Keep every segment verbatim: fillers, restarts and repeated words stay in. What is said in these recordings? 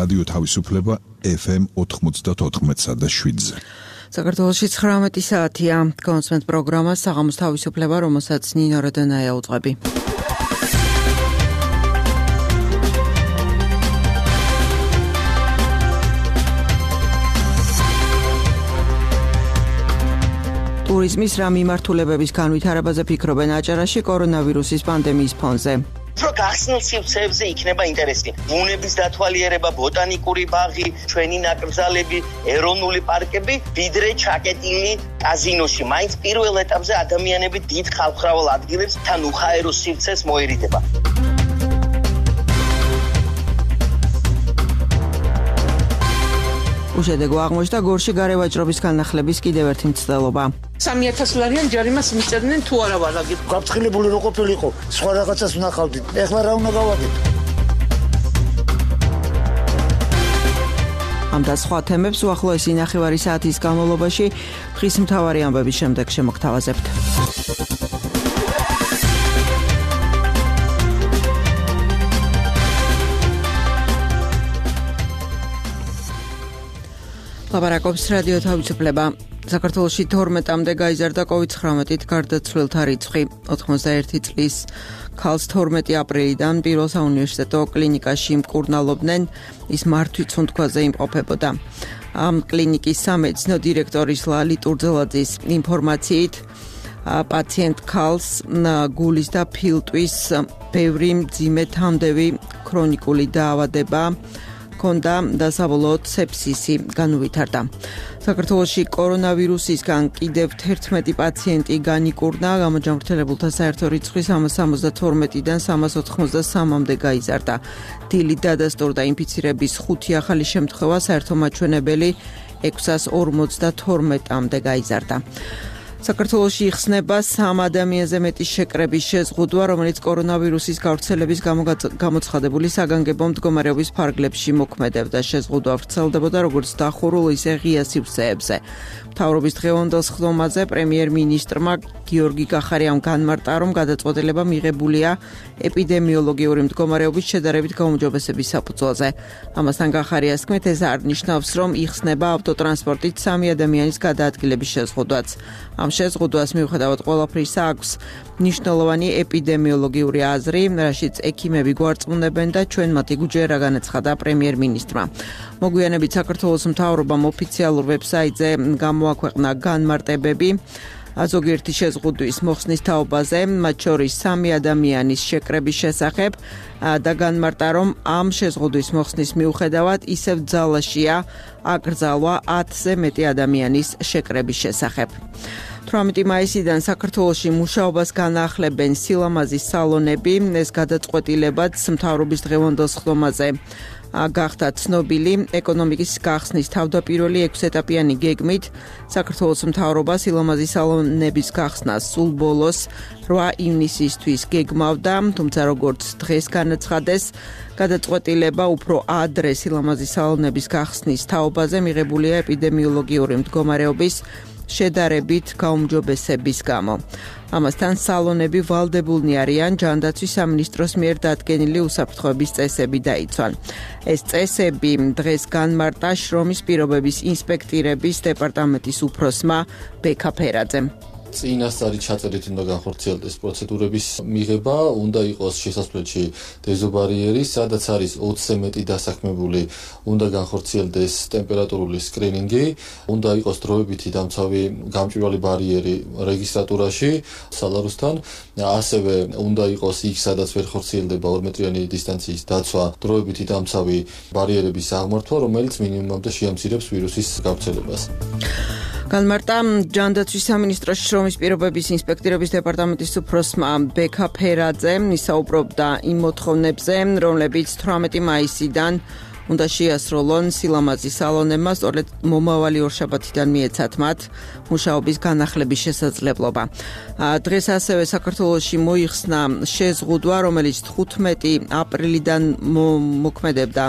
რადიო თავისუფლება ეფ ემ ოთხმოცდაოთხ და შვიდზე. საქართველოში ცხრამეტი საათია. კონსვენტ პროგრამა საღამოს თავისუფლება, რომელსაც ნინო როდონაია უძღვები. ტურიზმის რა მიმართულებების განვითარებაზე ფიქრობენ აჭარაში კორონავირუსის პანდემიის ფონზე. Უფრო გახსნილ სივრცეებზე იქნება ინტერესი. ბუნების დათვალიერება, ბოტანიკური ბაღი, ჩვენი ნაკრძალები, ეროვნული პარკები, ვიდრე ჩაკეტილი კაზინოში. მაინც პირველ ეტაპზე ადამიანები დიდ ხალხმრავალ ადგილებს თან უხაერო სივრცეს მოერიდება. უშედეგო აღმოჩნდა გორში გარევაჭრობის განახლების კიდევ ერთი მცდელობა. სამი ათასი ლარიან ჯარიმას მისწერდნენ თუ არა ვარაგი. გაფრთხილებული რო ყოფილიყო, სხვა რაღაცას ვნახავდით. ეხლა რა უნდა გავაკეთო? ამ და სხვა თემებს უახლოესი ნახევარი საათის განმავლობაში დღის მთავარი ამბების შემდეგ შემოგთავაზებთ. ლაპარაკობს რადიო თავისუფლება. საქართველოში თორმეტამდე გაიზარდა კოვიდ ცხრამეტით გარდაცვლილთა რიცხვი. ოთხმოცდაერთი წლის ქალს თორმეტი აპრილიდან პირველ საუნივერსიტეტო კლინიკაში მკურნალობდნენ, ის მართვის სუნთქვაზე იმყოფებოდა. ამ კლინიკის სამედიცინო დირექტორის ლალი ტურძელაძის ინფორმაციით პაციენტ ქალს გულის და ფილტვის ბევრი მძიმე თამდევი ქრონიკული დაავადება ქონდა და საბოლოოდ სეფსისი განუვითარდა. საქართველოში კორონავირუსისგან კიდევ თერთმეტი პაციენტი განიკურნა, გამოჯანმრთელებულთა საერთო რიცხვი სამას სამოცდათორმეტიდან სამას ოთხმოცდასამამდე გაიზარდა. დილით დადასტურდა ინფიცირების ხუთი ახალი შემთხვევა, საერთო მაჩვენებელი ექვსას ორმოცდათორმეტამდე გაიზარდა. საქართველოში იხსნება სამ ადამიანზე მეტი შეკრების შეზღუდვა, რომელიც კორონავირუსის გავრცელების გამო გამოცხადებული საგანგებო მდგომარეობის ფარგლებში მოქმედებდა. შეზღუდვა ვრცელდებოდა როგორც დახურულ, ისე ღია სივრცეებზე. მთავრობის დღევანდელ სხდომაზე პრემიერ-მინისტრმა გიორგი კახარიამ განმარტა, რომ გადაწყვეტილება მიღებულია ეპიდემიოლოგიური მდგომარეობის შედარებით გაუმჯობესების საფუძველზე. ამასთან კახარიას თქმით, ეს არ ნიშნავს, რომ იხსნება ავტოტრანსპორტით სამი ადამიანის გადაადგილების შეზღუდვაც. ამ შეზღუდვას მიუხედავად ყველაფრისა აქვს მნიშვნელოვანი ეპიდემიოლოგიური აზრი, რაშიც ექიმები გვარწმუნებენ და ჩვენ მათი გუჯერა განაცხადა პრემიერ-მინისტრმა. მოგვიანებით საქართველოს მთავრობამ ოფიციალურ ვებსაიტზე გამოაქვეყნა განმარტებები ზოგიერთი შეზღუდვის მოხსნის თაობაზე, მათ შორის სამი ადამიანის შეკრების შესახებ და განმარტა, რომ ამ შეზღუდვის მოხსნის მიუხედავად ისევ ძალაშია აკრძალვა ათზე მეტი ადამიანის შეკრების შესახებ. თვრამეტი მაისიდან საქართველოში მუშაობას განახლებენ სილამაზის სალონები, ეს გადაწყვეტილებაც მთავრობის დღევანდელ სხდომაზე გახდა ცნობილი. ეკონომიკის გახსნის თავდაპირველი ექვსეტაპიანი გეგმით საქართველოს მთავრობა სილამაზის სალონების გახსნას სულ ბოლოს რვა ივნისისთვის გეგმავდა, თუმცა როგორც დღეს განაცხადეს, გადაწყვეტილება უფრო ადრე სილამაზის სალონების გახსნის თაობაზე მიღებულია ეპიდემიოლოგიური მდგომარეობის შედარებით გაუმჯობესების გამო. ამასთან სალონები ვალდებულნი არიან ჯანდაცვის სამინისტროს მიერ დადგენილი უსაფრთხოების წესები დაიცვან. ეს წესები დღეს განმარტა შრომის პირობების ინსპექტირების დეპარტამენტის უფროსმა ბექა ფერაძემ. წინასწარი ჩაწერით უნდა განხორციელდეს პროცედურების მიღება, უნდა იყოს შესასვლელში დეზობარიერი, სადაც არის ოცზე მეტი დასაქმებული, უნდა განხორციელდეს ტემპერატურული სკრინინგი, უნდა იყოს დროებითი დამცავი გამჭვირვალე ბარიერი რეგისტრატურაში სალაროსთან, ასევე უნდა იყოს იქ, სადაც ვერ ხორციელდება ორმეტრიანი დისტანციის დაცვა, დროებითი დამცავი ბარიერების აღმართვა, რომელიც მინიმუმამდე შეამცირებს ვირუსის გავრცელებას. განმარტა ჯანდაცვის სამინისტროს შრომის პირობების ინსპექტირების დეპარტამენტის უფროსმა ბექა ფერაძემ, ისაუბრობდა იმ მოთხოვნებზე, რომლებიც თვრამეტი მაისიდან უნდა შეასრულონ სილამაზის სალონებმა, სწორედ მომავალი ორშაბათიდან მიეცათ მათ მუშაობის განახლების შესაძლებლობა. დღეს ასევე საქართველოში მოიხსნა შეზღუდვა, რომელიც თხუთმეტი აპრილიდან მოქმედებდა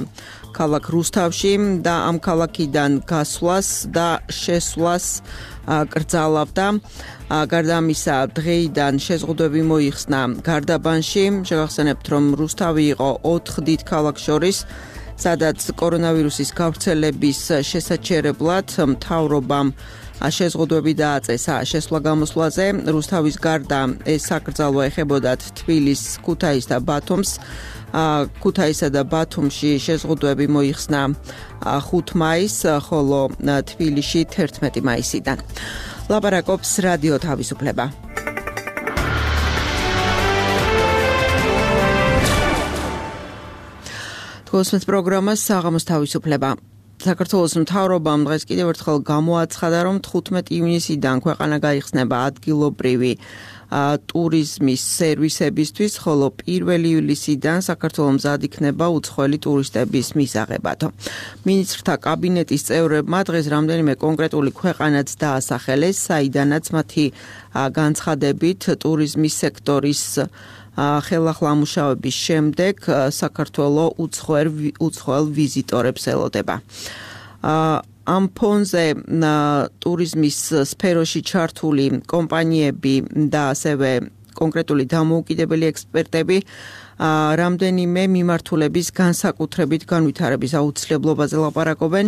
ქალაქ რუსთავში და ამ ქალაქიდან გასვლას და შესვლას კრძალავდა. გარდა ამისა, დღეიდან შეზღუდვები მოიხსნა გარდაბანში. შეგახსენებთ, რომ რუსთავი იყო ოთხ დიდ ქალაქს შორის სადაც კორონავირუსის გავრცელების შესაჩერებლად მთავრობამ შეზღუდვები დააწესა შესვლა გამოსვლაზე. რუსთავის გარდა ეს საკრძალვა ეხებოდათ თბილისს, ქუთაისს და ბათუმს. ქუთაისსა და ბათუმში შეზღუდვები მოიხსნა ხუთი მაისს, ხოლო თბილისში თერთმეტი მაისიდან. ლაპარაკობს რადიო თავისუფლება. თქოსმეთ პროგრამას საღამოს თავისუფლება. საქართველოს მთავრობამ დღეს კიდევ ერთხელ გამოაცხადა, რომ თხუთმეტი ივნისიდან ქვეყანა გაიხსნება ადგილობრივი ტურიზმის სერვისებისთვის, ხოლო პირველი ივლისიდან საქართველოს მზად იქნება უცხოელი ტურისტების მისაღებად. მინისტრთა კაბინეტის წევრებმა დღეს რამდენიმე კონკრეტული ქვეყანაც დაასახელეს, საიდანაც მათი განცხადებით ტურიზმის სექტორის ხელახლა მუშაობის შემდეგ საქართველოს უცხოელ ვიზიტორებს ელოდება. ამ ფონზე ტურიზმის სფეროში ჩართული კომპანიები და ასევე კონკრეტული დამოუკიდებელი ექსპერტები რამდენიმე მიმართულების განსაკუთრებით განვითარების აუცილებლობაზე ლაპარაკობენ.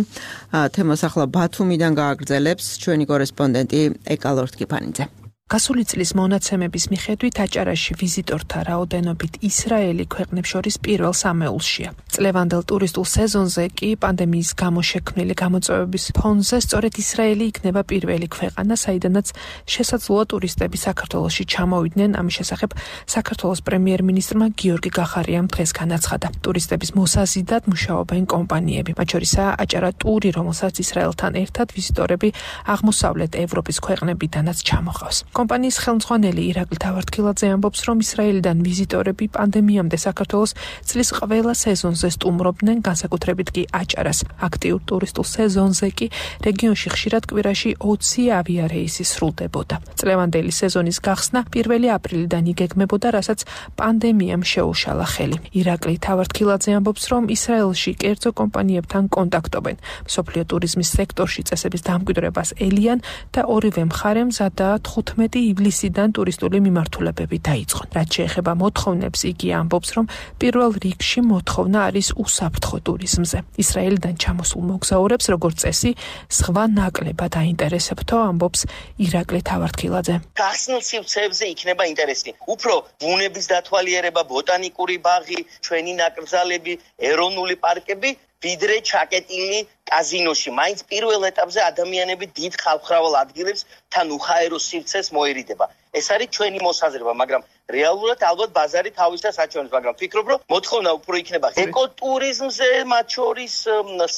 თემას ახლა ბათუმიდან გააგრძელებს ჩვენი კორესპონდენტი ეკალორთ კიფანიძე. გასული წლის მონაცემების მიხედვით აჭარაში ვიზიტორთა რაოდენობით ისრაელი ქვეყნებს შორის პირველ სამეულშია. წლევანდელ ტურისტულ სეზონზე კი პანდემიის გამო შექმნილი გამოწვევების ფონზე სწორედ ისრაელი იქნება პირველი ქვეყანა, საიდანაც შესაძლოა ტურისტები საქართველოში ჩამოვიდნენ. ამის შესახებ საქართველოს პრემიერ-მინისტრმა გიორგი გახარიამ დღეს განაცხადა. ტურისტების მოსაზიდად მუშაობენ კომპანიები, მათ შორისაა აჭარა ტური, რომელსაც ისრაელთან ერთად ვიზიტორები აღმოსავლეთ ევროპის ქვეყნებიდანაც ჩამოყავს. კომპანიის ხელმძღვანელი ირაკლი თავართქილაძე ამბობს, რომ ისრაელიდან ვიზიტორები პანდემიამდე საქართველოს წლის ყველა სეზონზე სტუმრობდნენ, განსაკუთრებით კი აჭარას. აქტიურ ტურისტულ სეზონზე კი რეგიონში ხშირად კვირაში ოცი ავიარეისი სრულდებოდა. წლევანდელი სეზონის გახსნა პირველი აპრილიდან იგეგმებოდა, რასაც პანდემიამ შეუშალა ხელი. ირაკლი თავართქილაძე ამბობს, რომ ისრაელში კერძო კომპანიებთან კონტაქტობენ. მსოფლიო ტურიზმის სექტორში წესების დამკვიდრებას ელიან და ორივე მხარემ მზადაა თხუთმეტი ივლისიდან ტურისტული მიმართულებები დაიწყონ. რაც შეეხება მოთხოვნებს, იგი ამბობს, რომ პირველ რიგში მოთხოვნა არის უსაფრთხო ტურიზმზე. ისრაელიდან ჩამოსულ მოგზაურებს, როგორც წესი, სხვა ნაკლებად აინტერესებთო, ამბობს ირაკლი თავართქილაძე. გახსნილ სივრცეებზე იქნება ინტერესი. უფრო ბუნების დათვალიერება, ბოტანიკური ბაღი, ჩვენი ნაკრძალები, ეროვნული პარკები, ვიდრე ჩაკეტილი კაზინოში. მაინც პირველ ეტაპზე ადამიანები დიდ ხალხმრავალ ადგილებს თან უხაერო სივრცეს მოერიდება. ეს არის ჩვენი მოსაზრება, მაგრამ რეალურად ალბათ ბაზარი თავისას აჩვენებს, მაგრამ ვფიქრობ, რომ მოთხოვნა უფრო იქნება ეკოტურიზმზე, მათ შორის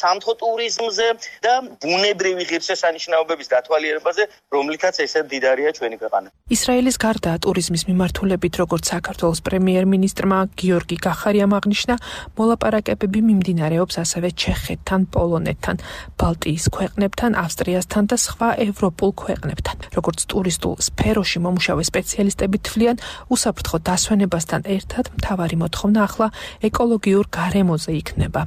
სამთო ტურიზმზე და ბუნებრივი ღირსშესანიშნაობების დათვალიერებაზე, რომლითაც ესე მდიდარია ჩვენი ქვეყანა. ისრაელის გარდა ტურიზმის მიმართულებით, როგორც საქართველოს პრემიერ-მინისტრმა გიორგი გახარიამ აღნიშნა, მოლაპარაკებები მიმდინარეობს ასევე ჩეხეთთან, პოლონეთთან, ბალტიის ქვეყნებთან, ავსტრიასთან და სხვა ევროპულ ქვეყნებთან. როგორც ტურისტულ სფეროში მომუშავე სპეციალისტები თვლიან, უსაფრთხო დასვენებასთან ერთად მთავარი მოთხოვნა ახლა ეკოლოგიურ გარემოზე იქნება.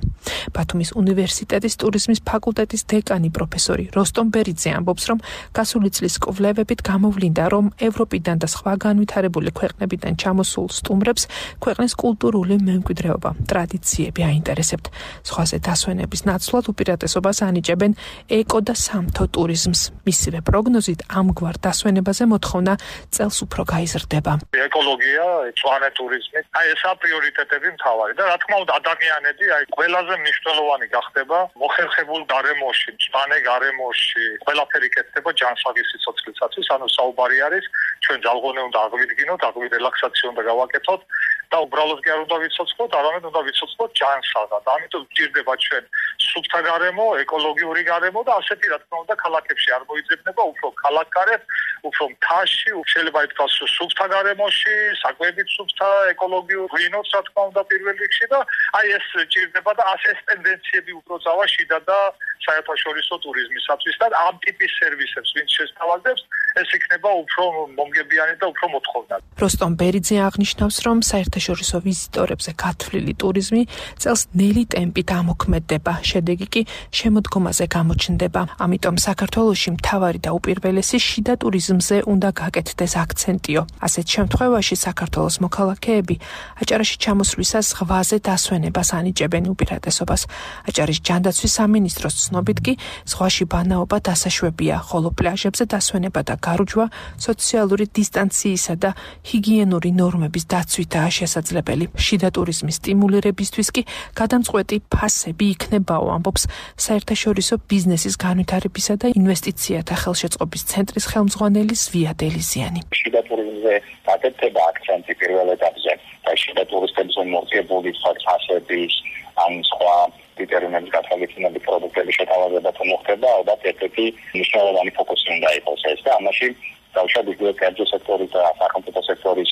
ბათუმის უნივერსიტეტის ტურიზმის ფაკულტეტის დეკანი პროფესორი როსტომ ბერიძე ამბობს, რომ გასული წლის კვლევებით გამოვლინდა, რომ ევროპიდან და სხვა განვითარებული ქვეყნებიდან ჩამოსულ სტუმრებს ქვეყნის კულტურული მემკვიდრეობა, ტრადიციები აინტერესებთ. სხვაზე დასვენების ნაცვლად უპირატესობას ანიჭებენ ეკო და სამთო ტურიზმს. მისივე პროგნოზით ამგვარ დასვენებაზე მოთხოვნა წელს უფრო გაიზრდება. ეკოლოგია, მწვანე ტურიზმი, აი ესა პრიორიტეტები მთავარი და რა თქმა უნდა ადამიანები აი ყველაზე მნიშვნელოვანი გახდება მოხერხებულ გარემოში, მწვანე გარემოში, ყველაფერი კეთდება ჯანსაღი სიცოცხლისათვის, ანუ საუბარი არის ჩვენ ძალღონე უნდა აღვიდგინოთ, აღვიდ რელაქსაცია უნდა გავაკეთოთ და უბრალოდ კი არ უნდა ვიცოცხლოთ, არამედ უნდა ვიცოცხლოთ ჯანსაღად. ამიტომ გვჭირდება ჩვენ სუფთა გარემო, ეკოლოგიური გარემო და ასეთი რა თქმა უნდა ქალაქებში არ მოიძებნება, უფრო ქალაქგარეთ, უფრო მთაში, შეიძლება ითქვას სუფთა გარემოში, საკვებით სუფთა, ეკოლოგიურ ღვინოს რა თქმა უნდა პირველ რიგში და აი ეს ჭირდება და ასე ეს ტენდენციები უფრო წავა შიდა და საერთაშორისო ტურიზმისათვის და ამ ტიპის სერვისებს ვინც შესთავაზებს, ეს იქნება უფრო მომგებიანი და უფრო მოთხოვნად. როსტომ ბერიძე აღნიშნავს, რომ საერთაშორისო ვიზიტორებზე გათვლილი ტურიზმი წელს ნელი ტემპით ამოქმედდება. შედეგი კი შემოდგომაზე გამოჩნდება. ამიტომ საქართველოში მთავარი და უპირველესი შიდა ტურიზმზე უნდა გაკეთდეს აქცენტიო. ასეთ შემთხვევაში საქართველოს მოქალაქეები აჭარაში ჩამოსვლისას ზღვაზე დასვენებას ანიჭებენ უპირატესობას. აჭარის ჯანდაცვის სამინისტროს ცნობით კი ზღვაში ბანაობა დასაშვებია, ხოლო პლაჟებზე დასვენება და გარუჯვა სოციალური დისტანციისა და ჰიგიენური ნორმების დაცვითაა შესაძლებელი. შიდა ტურიზმის სტიმულირებისთვის კი გადამწყვეტი ფასები იქნებაო, ამბობს საერთაშორისო ბიზნესის განვითარებისა და ინვესტიციათა ხელშეწყობის ცენტრის ხელმძღვანელი ზვია დელიზიანი. შიდა ტურიზმზე დაკეთება აქცენტი პირველ ეტაპზე და შიდა ტურისტებზე მორგებული ფასების ან სხვა დეტერმინების გათვალისწინებით პროდუქტების შეთავაზება თუ მოხდება, ალბათ ერთ-ერთი მნიშვნელოვანი ფოკუსი უნდა იყოს ეს და ამაში დავუშვათ იგივე კერძო სექტორის და სახელმწიფო სექტორის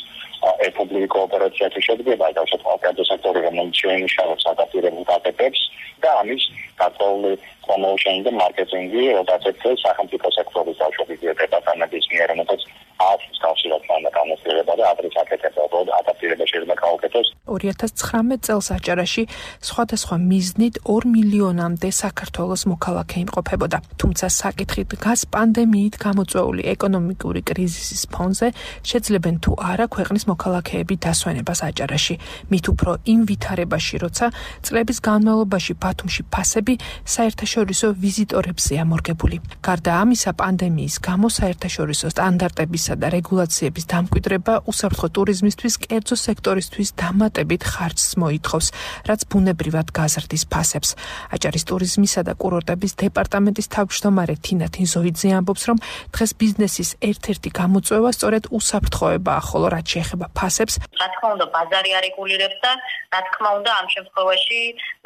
პუბლიკური კოოპერაციათა შედგება, დავუშვათ კერძო სექტორი, რომელიც შეიმუშავებს ადაპტირებულ დატეპებს და ამის გაწეული პრომოუშენი და მარკეტინგი, როდესაც სახელმწიფო სექტორის დავუშვათ იგივე დეპარტამენტის მიერ მოწოდებს ათს კავშირად განმარტება და ადრეს აკეთება, რომ ადაპტირება შეიძლება გაუკეთოს. ორი ათას ცხრამეტ წელს აჭარაში სხვადასხვა მიზნით ორ მილიონამდე საქართველოს მოქალაქე იმყოფებოდა. თუმცა საკითხი დგას პანდემიით გამოწვეული ეკონომიკური კრიზისის ფონზე შეძლებენ თუ არა ქვეყნის მოქალაქეები დასვენებას აჭარაში. მით უფრო იმ ვითარებაში, როცა წლების განმავლობაში ბათუმში ფასები საერთაშორისო ვიზიტორებზეა მორგებული. გარდა ამისა, პანდემიის გამო საერთაშორისო სტანდარტებისა და რეგულაციების დამკვიდრება უსაფრთხო ტურიზმისთვის კერძო სექტორისთვის დამატებით ხარჯს მოითხოვს, რაც ბუნებრივად გაზრდის ფასებს. აჭარის ტურიზმისა და კურორტების დეპარტამენტის თავმჯდომარე თინა თინზოიძე ამბობს, რომ დღეს ბიზნესის ერთ-ერთი გამოწვევა სწორედ უსაფრთხოებაა, ხოლო რაც შეეხება ფასებს, რა თქმა უნდა, ბაზარი არეგულირებს და რა თქმა უნდა, ამ შემთხვევაში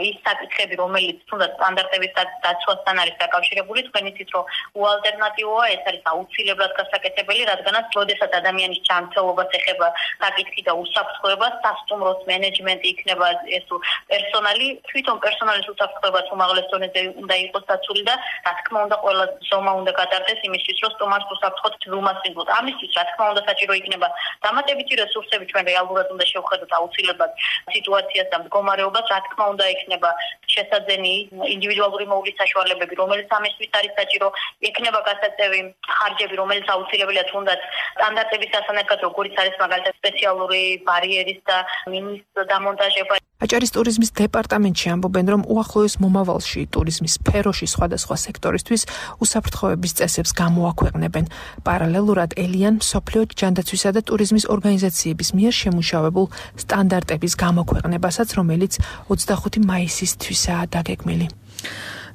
ის საკითხები, რომელიც თუნდაც სტანდარტების დაცვასთან არის დაკავშირებული, თქვენ იცით, რომ უალტერნატივოა, ეს არის აუცილებლად გასაკეთებელი, რადგანაც როდესაც ადამიანის ჯანმრთელობას ეხება საკითხი და უსაფრთხოება, სასტუმროს მენეჯმენტი იქნება ეს პერსონალი, თვითონ პერსონალის უსაფრთხოება უმაღლეს დონეზე უნდა იყოს დაცული და რა თქმა უნდა, ყველა ზომა უნდა გატარდეს იმისთვის, რომ სტუმარს უსაფრთხოდ ვილმასწინოთ. ამისთვის რა თქმა უნდა საჭირო იქნება დამატებითი რესურსები, ჩვენ რეალურად უნდა შევხედოთ აუცილებლად სიტუაციას და მდგომარეობას, რა თქმა უნდა იქნება შესაძენი ინდივიდუალური მოვლის საშუალებები, რომელიც ამისთვის არის საჭირო, იქნება გასაწევი ხარჯები, რომელიც აუცილებელია თუნდაც სტანდარტების სასანერგად, როგორც არის მაგალითად სპეციალური ბარიერის და მინის დამონტაჟება. აჭარის ტურიზმის დეპარტამენტში ამბობენ, რომ უახლოეს მომავალში ტურიზმის სფეროში სხვადასხვა სექტორისთვის უსაფრთხოების წესებს გამოაქვეყნებენ. პარალელურად ელიან მსოფლიო ჯანდაცვისა და ტურიზმის ორგანიზაციების მიერ შემუშავებულ სტანდარტების გამოქვეყნებასაც, რომელიც ოცდახუთი მაისისთვისაა დაგეგმილი.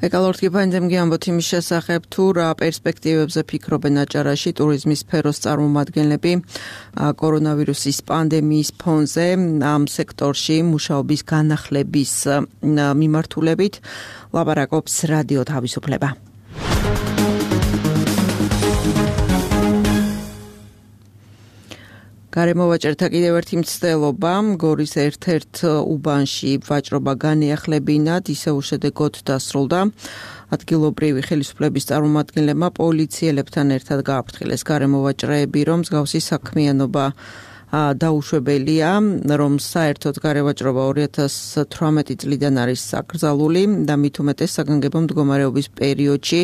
ეკალორტი პანდემია ამბობთ იმის შესახებ, თუ რა პერსპექტივებზე ფიქრობენ აჭარაში ტურიზმის სფეროს წარმომადგენლები კორონავირუსის პანდემიის ფონზე ამ სექტორში მუშაობის განახლების მიმართულებით. ლაპარაკობს რადიო თავისუფლება. გარემოვაჭერთა კიდევ ერთი მცდელობა, გორის ერთ-ერთ უბანში ვაჭრობა განეახლებინათ, ისე უშედეგოდ დასრულდა. ადგილობრივი ხელისუფლების წარმომადგენლებმა პოლიციელებთან ერთად გააფრთხილეს გარემოვაჭრეები, რომ მსგავსი საქმიანობა დაუშვებელია, რომ საერთოდ გარევაჭრობა ორი ათას თვრამეტი წლიდან არის საკრძალული და მით უმეტეს საგანგებო მდგომარეობის პერიოდში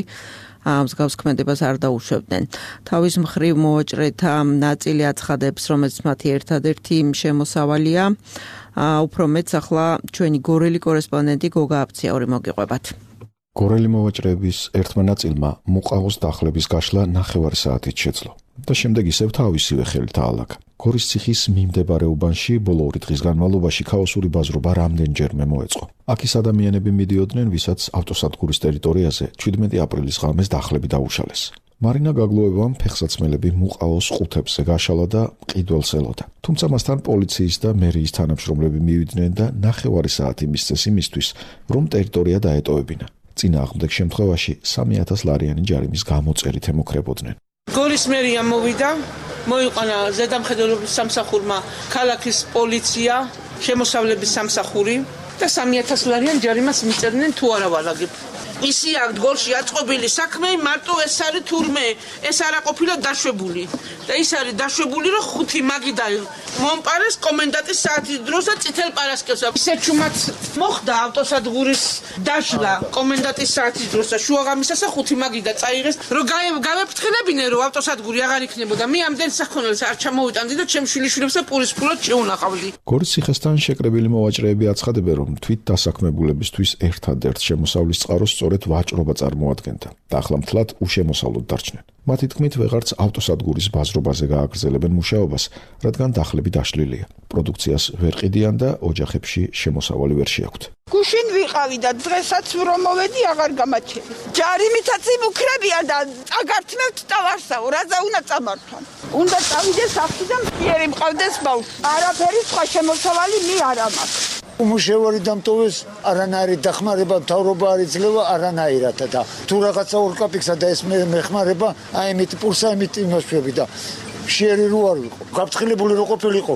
მსგავს ქმედებას არ დაუშვებდნენ. თავის მხრივ მოვაჭრეთა ნაწილი აცხადებს, რომ ეს მათი ერთადერთი შემოსავალია. უფრო მეც ახლა ჩვენი გორელი კორესპონდენტი გოგა აფციაური მოგიყვებათ. გორელი მოვაჭრეების ერთმა ნაწილმა მუყაოს დახლების გაშლა ნახევარი საათით შეძლო და შემდეგ ისევ თავისივე ხელით აალაგა. გორის ციხის მიმდებარე უბანში ბოლო ორი დღის განმავლობაში ქაოსური ბაზრობა რამდენჯერმე მოეწყო. აქ ის ადამიანები მიდიოდნენ, ვისაც ავტოსადგურის ტერიტორიაზე შვიდმეტი აპრილის ღამეს დახლები დაუშალეს. მარინა გაგლოევამ ფეხსაცმელები მუყაოს ყუთებზე გაშალა და მყიდველს ელოდა. თუმცა მასთან პოლიციის და მერიის თანამშრომლები მივიდნენ და ნახევარი საათი მისცეს იმისთვის, რომ ტერიტორია დაეტოვებინა. წინააღმდეგ შემთხვევაში სამი ათას ლარიანი ჯარიმის გამოწერით ემუქრებოდნენ. გორის მერია მოვიდა, მოიყვანა ზედამხედველობის სამსახურმა ქალაქის პოლიცია, შემოსავლების სამსახური და სამი ათას ლარიან ჯარიმას მიწერდნენ თუ არა ვალაგებ. ისი აქ გოლში აწყობილი საქმე მარტო ეს არის თურმე ეს არა ყოფილა დაშვებული და ის არის დაშვებული რომ ხუთი მაგიდა მომპარეს კომენდანტის საათის დროს და წითელ პარასკევს ისე ჩუმად მოხდა ავტოსადგურის დაშლა კომენდანტის საათის დროს და შუაღამისას ხუთი მაგიდა წაიღეს რომ გავეფრთხილებინე რომ ავტოსადგური აღარ იქნებოდა მე ამდენ საქონელს არ ჩამოვიტანდი და ჩემ შვილიშვილებს და პურის ფულად შეუნახავდი. გორის ციხესთან შეკრებილი მოვაჭრეები აცხადებენ რომ თვით დასაქმებულებისთვის ერთადერთ შემოსავლის წყაროს სწორედ ვაჭრობა წარმოადგენდა და ახლა მთლად უშემოსავლოდ დარჩნენ. მათი თქმით ვეღარც ავტოსადგურის ბაზრობაზე გააგრძელებენ მუშაობას, რადგან დახლები დაშლილია. პროდუქციას ვერ ყიდიან და ოჯახებში შემოსავალი ვერ შეაქვთ. გუშინ ვიყავი და დღესაც რომ მოვედი აღარ გამაჩერე. ჯარიმითაც იმუქრებიან და წაგართმევთ ტავარსაო, რაზე უნდა წამართვან. უნდა წავიდეს სახლი და მტიერი მყავდეს ბავშვი. არაფერი სხვა შემოსავალი მე არ ამაქვს. უმუშევარი დამტოვეს არანაირი დახმარება მთავრობა არ იძლევა არანაირად და თუ რაღაცა ორკაპიკსა და ეს მეხმარება აი იმით პურსა იმით იმასვები და შეერი რო არ ვიყო გაფრთხილებული რო ყოფილიყო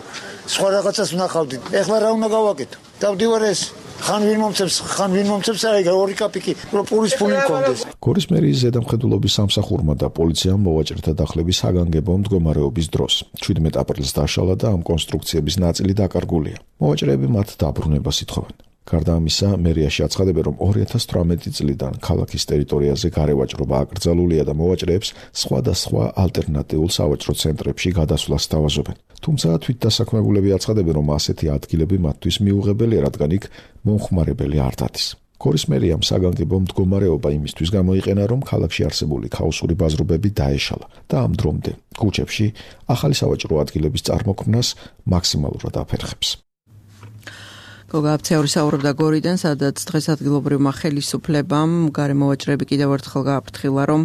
სხვა რაღაცას ვნახავდით ეხლა რა უნდა გავაკეთო დავდივარ ეს ხან ვინ მომწევს ხან ვინ მომწევს აი ორი კაპიკი რო პურის ფული მქონდეს. გორის მერიის ზედამხედველობის სამსახურმა და პოლიციამ მოვაჭრეთა დახლების საგანგებო მდგომარეობის დროს შვიდმეტ აპრილს დაშალა და ამ კონსტრუქციების ნაწილი დაკარგულია. მოვაჭრეები მათ დაბრუნებას ითხოვენ. გარდა ამისა, მერიაში აცხადებენ, რომ ორი ათას თვრამეტი წლიდან ქალაქის ტერიტორიაზე გარევაჭრობა აკრძალულია და მოვაჭრეებს სხვადასხვა ალტერნატიულ სავაჭრო ცენტრებში გადასვლას სთავაზობენ. თუმცა თვით დასაქმებულები აცხადებენ, რომ ასეთი ადგილები მათთვის მიუღებელია, რადგან იქ მომხმარებელი არ დადის. გორის მერიამ საგანგებო მდგომარეობა იმისთვის გამოიყენა, რომ ქალაქში არსებული ქაოსური ბაზრობები დაეშალა და ამ დრომდე ქუჩებში ახალი სავაჭრო ადგილების წარმოქმნას მაქსიმალურად აფერხებს. გოგაბცეული საუბრობდა გორიდან, სადაც დღეს ადგილობრივმა ხელისუფლებამ გარემოვაჭრეები კიდევ ერთხელ გააფრთხილა, რომ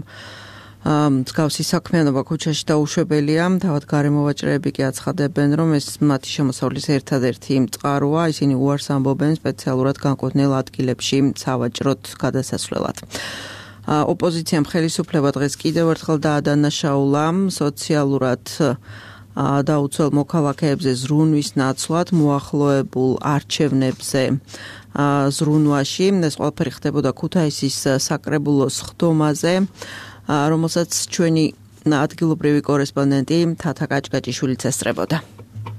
მსგავსი საქმიანობა ქუჩაში დაუშვებელია. თავად გარემოვაჭრეები კი აცხადებენ, რომ ეს მათი შემოსავლის ერთადერთი წყაროა, ისინი უარს ამბობენ სპეციალურად განკუთვნილ ადგილებში სავაჭროთ გადასასვლელად. ოპოზიციამ ხელისუფლება დღეს კიდევ ერთხელ დაადანაშაულა სოციალურად დაუცველ მოქალაქეებზე ზრუნვის ნაცვლად მოახლოებულ არჩევნებზე ზრუნვაში. ეს ყველაფერი ხდებოდა ქუთაისის საკრებულოს ხდომაზე, რომელსაც ჩვენი ადგილობრივი კორესპონდენტი თათა კაჭკაჭიშვილიც ესწრებოდა.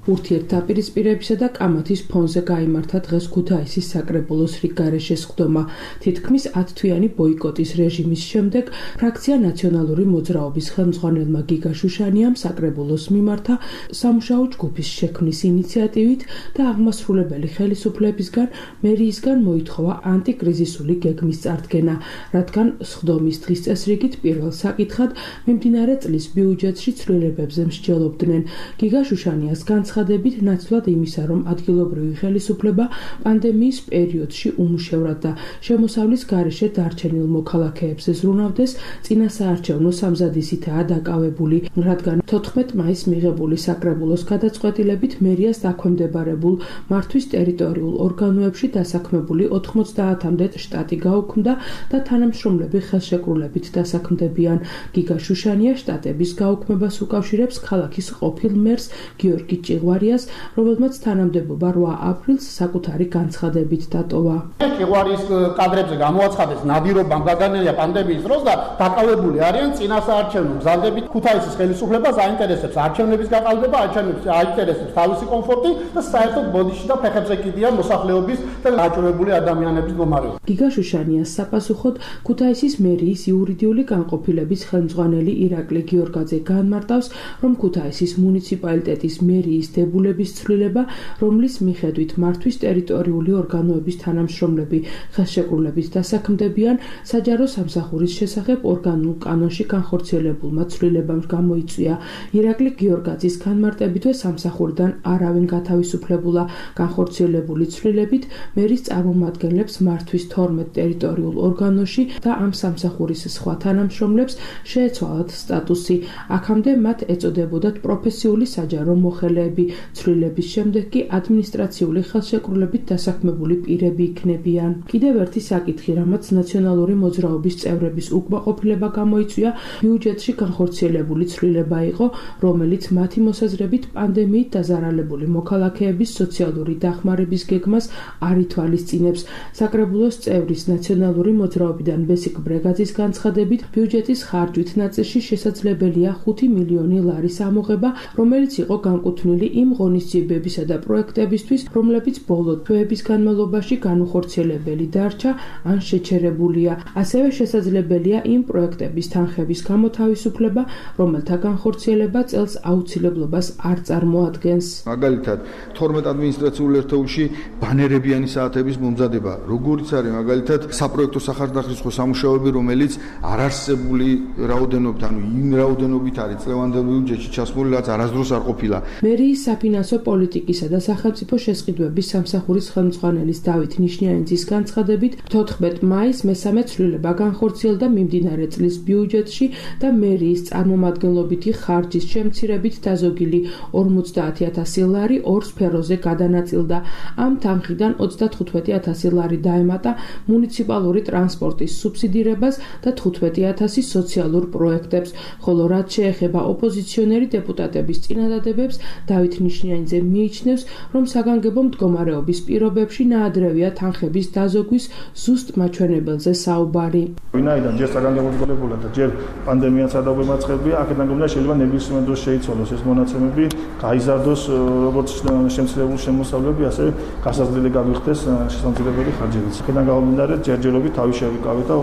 ურთიერთდაპირისპირებისა და კამათის ფონზე გაიმართა დღეს ქუთაისის საკრებულოს რიგგარეშეს ხდომა. თითქმის ათთვიანი ბოიკოტის რეჟიმის შემდეგ ფრაქცია ნაციონალური მოძრაობის ხელმძღვანელმა გიგა შუშანიამ საკრებულოს მიმართა სამუშაო ჯგუფის შექმნის ინიციატივით და აღმასრულებელი ხელისუფლებისგან მერიისგან მოითხოვა ანტიკრიზისული გეგმის წარდგენა, რადგან სხდომის დღის წესრიგით პირველ საკითხად მიმდინარე წლის ბიუჯეტში ცვლილებებზე მსჯელობდნენ. გიგა შუშანიას განცხადებით ნაცვლად იმისა, რომ ადგილობრივი ხელისუფლება პანდემიის პერიოდში უმუშევრად და შემოსავლის გარეშე დარჩენილ მოქალაქეებს ზრუნავდეს, წინასაარჩევნო სამზადისითაა დაკავებული, რადგან თოთხმეტ მაისს მიღებული საკრებულოს გადაწყვეტილებით მერიას დაქვემდებარებულ მართვის ტერიტორიულ ორგანოებში დასაქმებული ოთხმოცდაათამდე შტატი გაუქმდა და თანამშრომლები ხელშეკრულებით დასაქმდებიან. გიგა შუშანია შტატების გაუქმებას უკავშირებს ქალაქის ყოფილ მერს გიორგი ჭიღვარიას, რომელმაც თანამდებობა რვა აპრილს საკუთარი განცხადებით დატოვა. ჭიღვარიის კადრებზე გამოაცხადეს ნადირობამ გაგანელია პანდემიის დროს და დაკავებული არიან წინასაარჩევნო გზადებით. ქუთაისის ხელისუფლებას აინტერესებს არჩევნების გაყალბება, არჩევნებს აინტერესებს თავისი კომფორტი და საერთოდ ბოდიში და ფეხებზე კიდიან მოსახლეობის და გაჭირვებული ადამიანების მდგომარეობა. გიგა შუშანიას საპასუხოდ ქუთაისის მერიის იურიდიული განყოფილების ხელმძღვანელი ირაკლი გიორგაძე განმარტავს, რომ ქუთაისის მუნიციპალიტეტის მერიის დებულების ცვლილება, რომლის მიხედვით მართვის ტერიტორიული ორგანოების თანამშრომლები ხელშეკრულებით დასაქმდებიან, საჯარო სამსახურის შესახებ ორგანულ კანონში განხორციელებულმა ცვლილებამ გამოიწვია. ირაკლი გიორგაძის განმარტებითვე სამსახურიდან არავინ გათავისუფლებულა. განხორციელებული ცვლილებით მერის წარმომადგენლებს მართვის თორმეტ ტერიტორიულ ორგანოში და ამ სამსახურის სხვა თანამშრომლებს შეეცვალათ სტატუსი. აქამდე მათ ეწოდებოდათ პროფესიული საჯარო მოხელეები. პირები, ცვლილების შემდეგ კი ადმინისტრაციული ხელშეკრულებით დასაქმებული პირები იქნებიან. კიდევ ერთი საკითხი, რამაც ნაციონალური მოძრაობის წევრების უკმაყოფილება გამოიწვია, ბიუჯეტში განხორციელებული ცვლილება იყო, რომელიც მათი მოსაზრებით პანდემიით დაზარალებული მოქალაქეების სოციალური დახმარების გეგმას არ ითვალისწინებს. საკრებულოს წევრის ნაციონალური მოძრაობიდან ბესიკ ბრეგაძის განცხადებით, ბიუჯეტის ხარჯვით ნაწილში შესაძლებელია ხუთი მილიონი ლარის ამოღება, რომელიც იყო განკუთვნილი იმ ღონისძიებებისა და პროექტებისთვის, რომლებიც ბოლო თვეების განმავლობაში განუხორციელებელი დარჩა ან შეჩერებულია. ასევე შესაძლებელია იმ პროექტების თანხების გამოთავისუფლება, რომელთა განხორციელება წელს აუცილებლობას არ წარმოადგენს. მაგალითად, თორმეტ ადმინისტრაციულ ერთეულში ბანერებიანი საათების მომზადება, როგორიც არის მაგალითად საპროექტო სახარდახრისხო სამუშაოები, რომელიც არარსებული რაოდენობით, ანუ იმ რაოდენობით არის წლევანდელ ბიუჯეტში ჩასმული, რაც არასდროს არ ყოფილა. მერიის საფინანსო პოლიტიკისა და სახელმწიფო შესყიდვების სამსახურის ხელმძღვანელის დავით ნიშნიანიძის განცხადებით, თოთხმეტ მაისს მესამე ცვლილება განხორციელდა მიმდინარე წლის ბიუჯეტში და მერიის წარმომადგენლობითი ხარჯის შემცირებით დაზოგილი ორმოცდაათი ათასი ლარი ორ სფეროზე გადანაწილდა. ამ თანხიდან ოცდათხუთმეტი ათასი ლარი დაემატა მუნიციპალური ტრანსპორტის სუბსიდირებას და თხუთმეტი ათასი სოციალურ პროექტებს, ხოლო რაც შეეხება ოპოზიციონერი დეპუტატების წინადადებებს, დავით ნიშნიანიძე მიიჩნევს, რომ საგანგებო მდგომარეობის პირობებში ნაადრევია თანხების დაზოგვის ზუსტ მაჩვენებელზე საუბარი. ვინაიდან ჯერ საგანგებო მდგომარეობა და ჯერ პანდემიაც არ დაგვემაწყებია, აქედან გამომდინარე შეიძლება ნებისმიერ დროს შეიცვალოს ეს მონაცემები, გაიზარდოს როგორც შემცირებული შემოსავლები, ასევე გასაზრდილი გაგვიხდეს შესამძლებელი ხარჯებიც. აქედან გამომდინარე ჯერჯერობით თავი შევიკავეთ და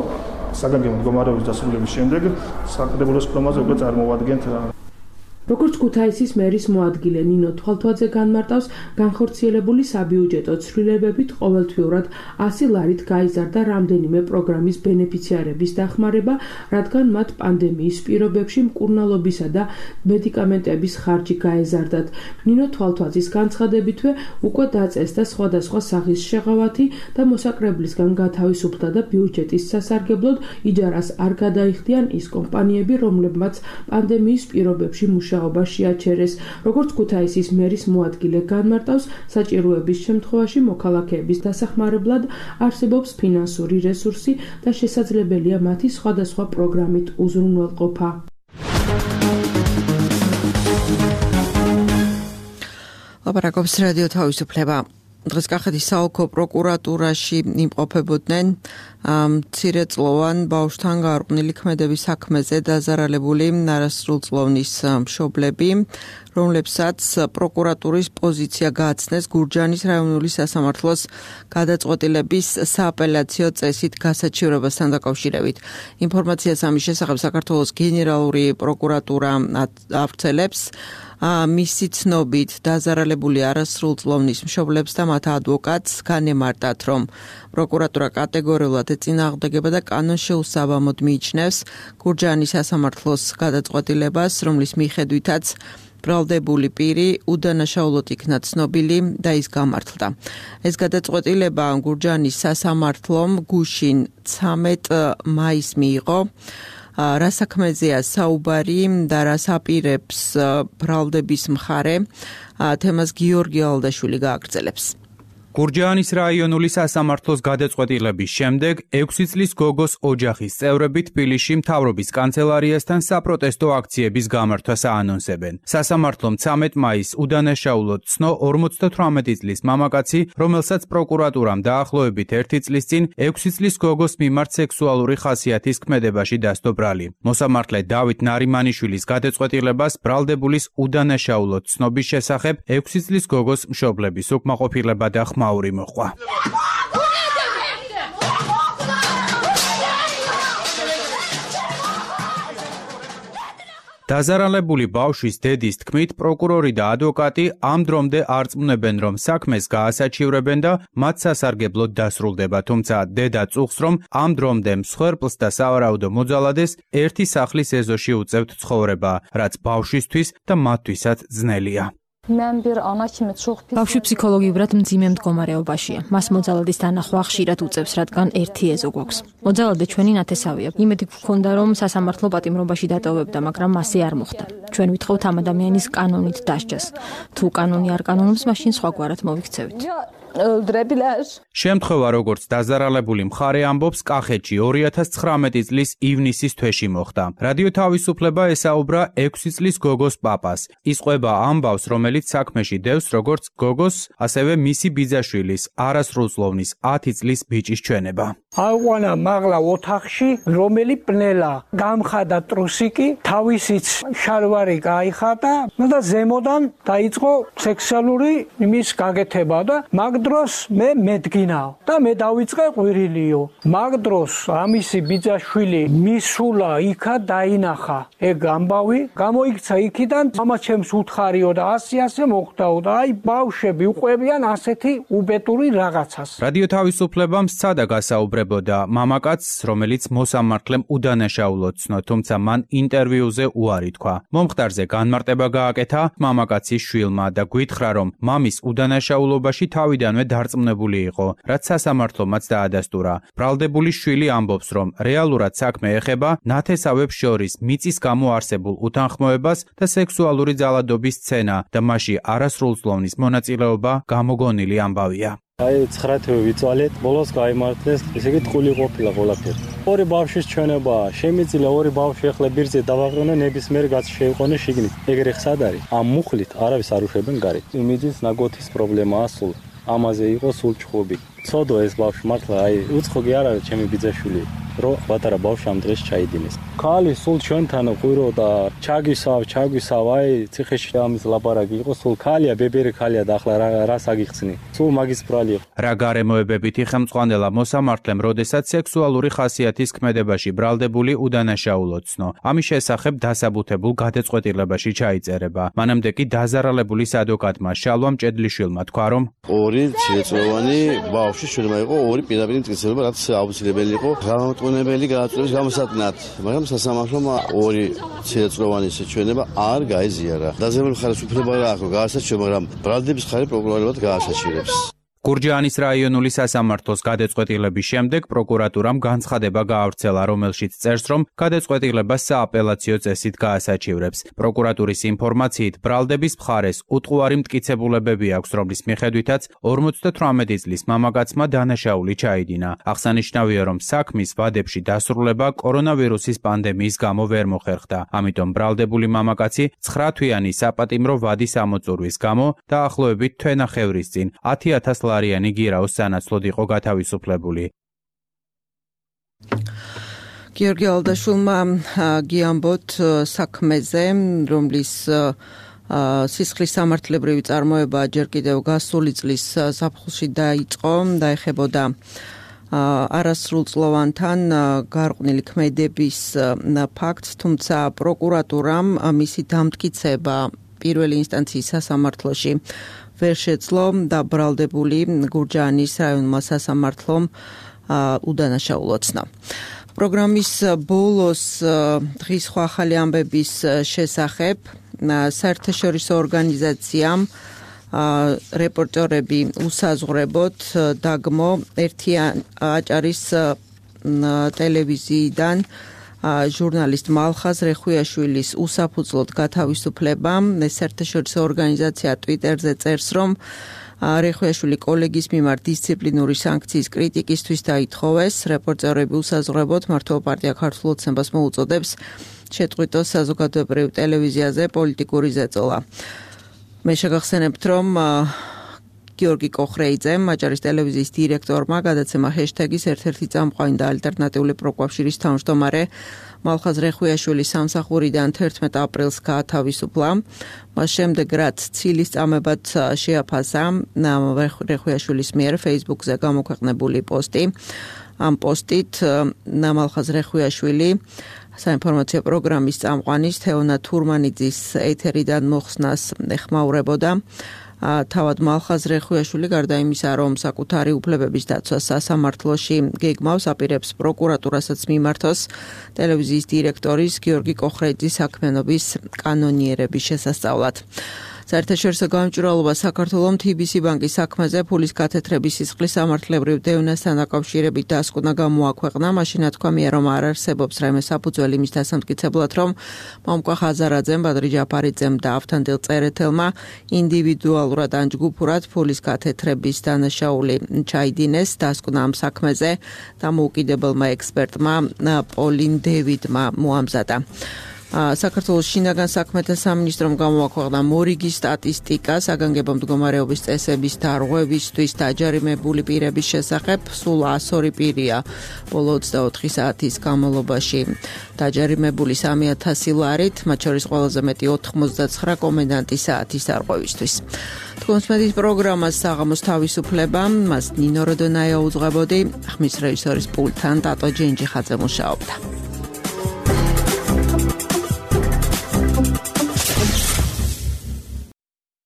საგანგებო მდგომარეობის დასრულების შემდეგ საკრებულოს ფორმაზე უკვე წარმოვადგენთ. როგორც ქუთაისის მერის მოადგილე ნინო თვალთვაძე განმარტავს, განხორციელებული საბიუჯეტო ცვლილებებით ყოველთვიურად ასი ლარით გაიზარდა რამდენიმე პროგრამის ბენეფიციარების დახმარება, რადგან მათ პანდემიის პირობებში მკურნალობისა და მედიკამენტების ხარჯი გაეზარდათ. ნინო თვალთვაძის განცხადებითვე უკვე დაწესდა სხვადასხვა სახის შეღავათი და მოსაკრებლისგან გათავისუფლდა და ბიუჯეტის სასარგებლოდ იჯარას არ გადაიხდიან ის კომპანიები, რომლებმაც პანდემიის პირობებში მუშაობენ შეაჩერეს. როგორც ქუთაისის მერის მოადგილე განმარტავს, საჭიროების შემთხვევაში მოქალაქეების დასახმარებლად არსებობს ფინანსური რესურსი და შესაძლებელია მათი სხვადასხვა პროგრამით უზრუნველყოფა. ლაპარაკობს რადიო თავისუფლება. დღეს კახეთის საოლქო პროკურატურაში იმყოფებოდნენ მცირეწლოვან ბავშვთან გარყვნილი ქმედების საქმეზე დაზარალებული არასრულწლოვნის მშობლები, რომლებსაც პროკურატურის პოზიცია გააცნეს გურჯაანის რაიონული სასამართლოს გადაწყვეტილების სააპელაციო წესით გასაჩივრებასთან დაკავშირებით. ინფორმაციას ამის შესახებ საქართველოს გენერალური პროკურატურა ავრცელებს. მისი ცნობით დაზარალებული არასრულწლოვნის მშობლებს და მათ ადვოკატს განემარტათ, რომ პროკურატურა კატეგორიულად ეწინააღმდეგება და კანონშეუსაბამოდ მიიჩნევს გურჯაანის სასამართლოს გადაწყვეტილებას, რომლის მიხედვითაც ბრალდებული პირი უდანაშაულოდ იქნა ცნობილი და ის გამართლდა. ეს გადაწყვეტილება გურჯაანის სასამართლომ გუშინ ცამეტ მაისს მიიღო. რა საქმეზეა საუბარი და რას აპირებს ბრალდების მხარე, თემას გიორგი ალდაშვილი გააგრძელებს. გურჯაანის რაიონული სასამართლოს გადაწყვეტილების შემდეგ ექვსი წლის გოგოს ოჯახის წევრები თბილისში მთავრობის კანცელარიასთან საპროტესტო აქციების გამართვას აანონსებენ. სასამართლომ ცამეტ მაისს უდანაშაულოდ ცნო ორმოცდათვრამეტი წლის მამაკაცი, რომელსაც პროკურატურამ დაახლოებით ერთი წლის წინ ექვსი წლის გოგოს მიმართ სექსუალური ხასიათის ქმედებაში დასდო ბრალი. მოსამართლე დავით ნარიმანიშვილის გადაწყვეტილებას ბრალდებულის უდანაშაულოდ ცნობის შესახებ ექვსი წლის გოგოს მშობლების უკმაყოფილება და ხმაური მოყვა. დაზარალებული ბავშვის დედის თქმით, პროკურორი და ადვოკატი ამ დრომდე არ წმუნებენ, რომ საქმეს გაასაჩივრებენ და მათ სასარგებლოდ დასრულდება, თუმცა დედა წუხს, რომ ამ დრომდე მსხვერპლს და სავარაუდო მოძალადეს ერთი სახლის ეზოში უწევთ ცხოვრება, რაც ბავშვისთვის და მათთვისაც ძნელია. ბავშვი ფსიქოლოგიურად მძიმე მდგომარეობაშია. მას მოძალადის დანახვა ხშირად უწევს, რადგან ერთი ეზო გვაქვს. მოძალადე ჩვენი ნათესავია. იმედი გვქონდა, რომ სასამართლო პატიმრობაში დატოვებდა, მაგრამ მასე არ მოხდა. ჩვენ ვითხოვთ ამ ადამიანის კანონით დასჯას. თუ კანონი არ კანონობს, მაშინ სხვაგვარად მოვიქცევით. შემთხვევა, როგორც დაზარალებული მხარე ამბობს, კახეთში ორი ათას ცხრამეტი წლის ივნისის თვეში მოხდა. რადიო თავისუფლება ესაუბრა ექვსი წლის გოგოს პაპას. ის ყვება ამბავს, რომელიც საქმეში დევს როგორც გოგოს, ასევე მისი ბიძაშვილის, არასრულწლოვნის ათი წლის ბიჭის ჩვენება. აუყანა მაღლა ოთახში, რომელი პნელა გამხადა ტრუსიკი, თავისიც შალვარი გაიხატა და ზემოდან დაიწყო სექსუალური იმის გაკეთება და მაგ დროს მე მედგინაო და მე დავიწყე ყვირილიო. მაგ დროს ამისი ბიძაშვილი მისულა იქა დაინახა. ეგ ამბავი გამოიქცა იქიდან, მამა ჩემს უთხარიო და ასე ასე მოხდაო და აი ბავშვები უყვებიან ასეთი უბედური რაღაცას. რადიო თავისუფლებამ სცადა გასაუბრებოდა მამაკაცს, რომელიც მოსამართლემ udანაშაულოდ ცნო, თუმცა მან ინტერვიუზე უარი თქვა. მომხდარზე განმარტება გააკეთა მამაკაცის შვილმა და გვითხრა, რომ მამის udანაშაულობაში თავიდანვე დარწმუნებული იყო, რაც სასამართლომაც დაადასტურა. ბრალდებული შვილი ამბობს, რომ რეალურად საქმე ეხება ნათესავებს შორის მიწის გამო არსებულ უთანხმოებას და სექსუალური ძალადობის სცენა და მასში არასრულწლოვნის მონაწილეობა გამოგონილი ამბავია. აი ცხრა თვე ვიწვალეთ, ბოლოს გაიმართლეს, ესე იგი ტყული ყოფილა ყველაფერი. ორი ბავშვის ჩვენებაა, შემიძლია ორი ბავშვი ახლა ბირთზე დავაყრონო, ნებისმიერ კაცს შეიყვანო შიგნით. ეგრე ხსად არის? ამ მუხლით არავის არ უშვებენ გარეთ. იმიჯის ნაგოთის პრობლემაა სულ. ამაზე იყო სულ ჭხობი. ცოდო ეს ბავშვი მართლა აი უცხო კი არ არის ჩემი ბიძაშვილი, რომ პატარა ბავშვი ამ დღეს ჩაიდინეს. ქალი სულ ჩვენთან ყვირო და ჩაგისავ, ჩაგვისავ, აი ციხეში ამის ლაპარაკი იყო, სულ ქალია, ბებერი ქალია და ახლა რა რას აგიხსნი? სულ მაგის ბრალი იყო. რა გარემოებებითი ხელმძღვანელა მოსამართლემ, როდესაც სექსუალური ხასიათის ქმედებაში ბრალდებული udანაშაულოდ ცნო. ამის შესახებ დასაბუთებულ გადაწყვეტილებაში ჩაიწერება. მანამდე კი დაზარალებულის ადვოკატმა შალვა მჭედლიშვილმა თქვა, რომ ორი ცილწლოვანი ბავშვი შეიძლება იყო ორი პირდაპირ მტკიცება, რაც აუცილებელი იყო გამომტყუნებელი გადაწყვეტის გამოსატნად, მაგრამ სასამართლომ ორი ცილწლოვანის ჩვენება არ გაიზიარა. დაზიანებული მხარეს უფლება რა აქვს გაასაჩიო, მაგრამ ბრალდების მხარე პროკურორებად გაასაჩივრებს. გურჯაანის რაიონული სასამართლოს გადაწყვეტილების შემდეგ პროკურატურამ განცხადება გაავრცელა, რომელშიც წერს, რომ გადაწყვეტილებას სააპელაციო წესით გაასაჩივრებს. პროკურატურის ინფორმაციით, ბრალდების მხარეს უტყუარი მტკიცებულებები აქვს, რომლის მიხედვითაც ორმოცდათვრამეტი წლის მამაკაცმა დანაშაული ჩაიდინა. აღსანიშნავია, რომ საქმის ვადებში დასრულება კორონავირუსის პანდემიის გამო ვერ მოხერხდა. ამიტომ ბრალდებული მამაკაცი ცხრათვიანი საპატიმრო ვადის ამოწურვის გამო დაახლოებით თვენახევრის წინ ათი ათას ლარიანი გირაოს სანაცვლოდ იყო გათავისუფლებული. გიორგი ალდაშვილმა გიამბოთ საქმეზე, რომლის სისხლის სამართლებრივი წარმოება ჯერ კიდევ გასული წლის ზაფხულში დაიწყო, დაეხებოდა არასრულწლოვანთან გარყვნილი ქმედების ფაქტს, თუმცა პროკურატურამ მისი დამტკიცება პირველი ინსტანციის სასამართლოში ვერ შეძლო და ბრალდებული გურჯაანის რაიონულმა სასამართლომ udანაშაულოდ ცნო. პროგრამის ბოლოს დღის სხვა ახალი ამბების შესახებ საერთაშორისო ორგანიზაციამ რეპორტერები უსაზღვრებოდ დაგმო ერთი აჭარის ტელევიზიიდან ჟურნალისტ მალხაზ რეხუიაშვილის უსაფუძვლოდ გათავისუფლებამ საერთაშორისო ორგანიზაცია ტვიტერზე წერს, რომ რეხუიაშვილი კოლეგის მიმართ დისციპლინური საანქციის კრიტიკისთვის დაითხოვეს. რეპორტერები უსაზღვრებოდ მართლობა პარტია ქართულ ოცნებას მოუწოდებს შეწყვიტოს საზოგადოებრივ ტელევიზიაზე პოლიტიკური ზეწოლა. მე შეგახსენებთ, რომ გიორგი კოხრეიძემ, აჭარის ტელევიზიის დირექტორმა, გადაცემა ჰეშტეგის ერთ-ერთი წამყვანი და ალტერნატიული პროკვაფშირის თავმჯდომარე მალხაზ რეხუიაშვილის სამსახურიდან თერთმეტ აპრილს გაათავისუფლა. მას შემდეგ, რაც ცილის წამებად შეაფასა რეხუიაშვილის მიერ Facebook-ზე გამოქვეყნებული პოსტი. ამ პოსტით მალხაზ რეხუიაშვილი საინფორმაციო პროგრამის წამყვანის თეონა თურმანიძის ეთერიდან მოხსნას ეხმაურებოდა. თავად მალხაზ რეხუიაშვილი გარდა იმისა, რომ საკუთარი უფლებების დაცვას სასამართლოში გეგმავს, აპირებს პროკურატურასაც მიმართოს ტელევიზიის დირექტორის გიორგი კოხრეიძის საქმიანობის კანონიერების შესასწავლად. საერთაშორისო გამჭვირვალობა საქართველოს თი ბი სი ბანკის საქმეზე ფულის გათეთრების სისხლის სამართლებრივ დევნასთან დაკავშირებით დასკვნა გამოაქვეყნა. მაშინა თქვამია, რომ არ არსებობს რაიმე საფუძველი მის დასამტკიცებლად, რომ მომკვა ხაზარაძემ, ბადრი ჯაფარიძემ და ავთანდილ წერეთელმა ინდივიდუალურად ან ჯგუფურად ფულის გათეთრების დანაშაული ჩაიდინეს. დასკვნა ამ საქმეზე დამოუკიდებელმა ექსპერტმა პოლინ დევიდმა მოამზადა. საქართველოს შინაგან საქმეთა სამინისტრომ გამოაქვეყნა მორიგი სტატისტიკა საგანგებო მდგომარეობის წესების დარღვევისთვის დაჯარიმებული პირების შესახებ. სულ εκατს ორი პირია ბოლო ოცდაოთხი საათის განმავლობაში დაჯარიმებული სამი ათასი ლარით, მათ შორის ყველაზე მეტი ოთხმოცდაცხრა კომენდანტი საათის დარღვევისთვის. თქვენს მედის პროგრამას საღამოს თავისუფლება, მას ნინო როდონაია უძღვებოდი, ხმის რეჟისორის პულტთან ტატო ჯენჯიხაძე მუშაობდა.